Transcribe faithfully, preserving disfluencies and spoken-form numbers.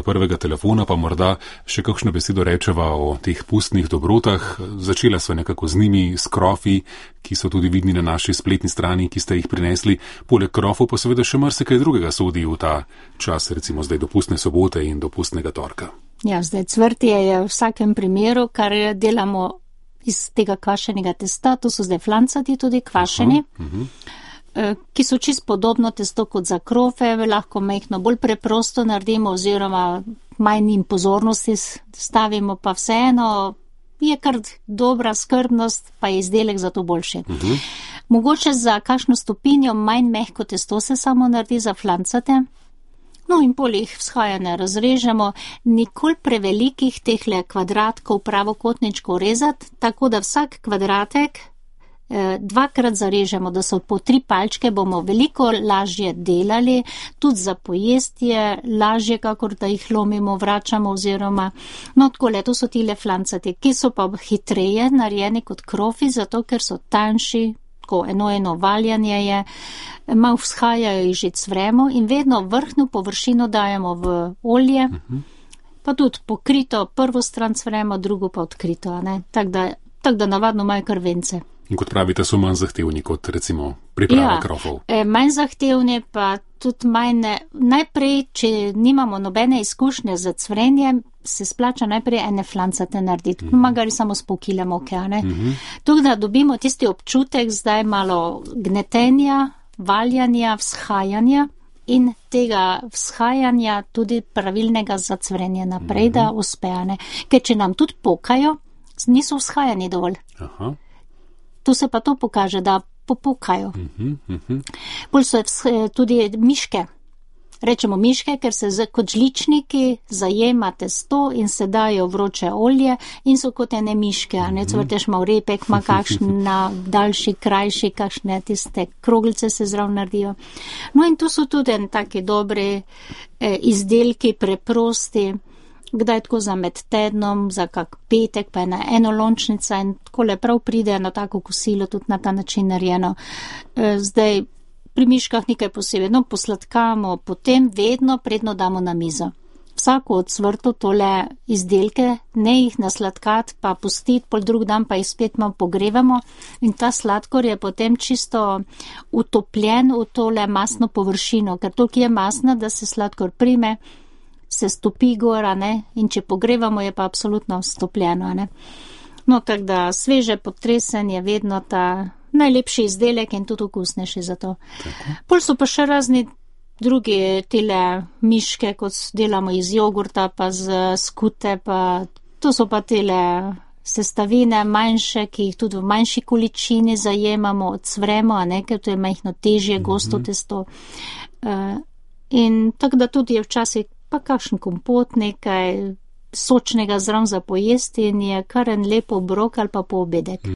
do prvega telefona, pa morda še kakšno besedo rečeva o teh pustnih dobrotah. Začela sva nekako z njimi, s krofi, ki so tudi vidni na naši spletni strani, ki ste jih prinesli. Poleg krofov pa seveda še marsikaj drugega sodi v ta čas, recimo zdaj dopustne sobote in dopustnega torka. Ja, zdaj cvrtje je v vsakem primeru, kar delamo iz tega kvašenega testa, to so zdaj flancati tudi kvašeni. Aha, uh-huh. Ki so čist podobno testo kot za krofe, lahko majhno bolj preprosto naredimo oziroma manj jim pozornosti stavimo, pa vseeno je kar dobra skrbnost, pa je izdelek za to boljši. Uh-huh. Mogoče za kakšno stopinjo manj mehko testo se samo naredi za flancate. No in pol jih vzhajane razrežemo, nikoli prevelikih tehle kvadratkov pravokotničkov rezati, tako da vsak kvadratek dvakrat zarežemo, da so po tri palčke, bomo veliko lažje delali, tudi za pojest je lažje, kakor da jih lomimo, vračamo oziroma, no takole, to so tile flancati, ki so pa hitreje narejeni kot krofi, zato ker so tanjši, tako eno eno valjanje je, malo vzhajajo jih že cvremo in vedno vrhnjo površino dajemo v olje, uh-huh. pa tudi pokrito, prvo stran cvremo, drugo pa odkrito, ne, tako da, tak da navadno imajo kar vence. In kot pravite, so manj zahtevni kot recimo priprava ja, krofov. Ja, manj zahtevni, pa tudi manj, najprej, če nimamo nobene izkušnje z cvrenjem, se splača najprej ene flancate narediti, mm-hmm. magari samo s pol kile moke, ne. Mm-hmm. Tukaj da dobimo tisti občutek, zdaj malo gnetenja, valjanja, vzhajanja in tega vzhajanja tudi pravilnega za cvrenje naprej, mm-hmm. da uspeja, ne. Ker če nam tudi pokajo, niso vzhajani dovolj. Aha. Tu se pa to pokaže, da popukajo. Uh-huh, uh-huh. Bolj so tudi miške. Rečemo miške, ker se z, kot žličniki zajema testo in se dajo vroče olje in so kot ene miške, a ne, cvrteš mal repek, ma kakšna daljši, krajši, kakšne tiste kroglice se zrav naredijo. No in tu so tudi en taki dobri eh, izdelki, preprosti, kdaj tako za med tednom, za kak petek, pa ena enolončnica in tako le prav pride na tako kosilo, tudi na ta način narejeno. Zdaj, pri miškah nekaj posebej, no, posladkamo, potem vedno predno damo na mizo. Vsako od cvrtov tole izdelke, ne jih nasladkat, pa pustiti, pol drug dan pa jih spet malo pogrevamo in ta sladkor je potem čisto utopljen v tole masno površino, ker toliko je masna, da se sladkor prime, se stopi gora, ne, in če pogrevamo, je pa absolutno stopljeno, ne. No, tako da sveže potresen je vedno ta najlepši izdelek in tudi okusnejši za to. Tako. Pol so pa še razni drugi tile miške, kot delamo iz jogurta, pa z skute, pa to so pa tile sestavine manjše, ki jih tudi v manjši količini zajemamo, odsvremo, a ne, ker to je majhno težje, gosto mm-hmm. testo. Uh, in tako da tudi je včasih pa kakšen kompot, nekaj sočnega zraven za pojesti in je kar en lep obrok ali pa poobedek.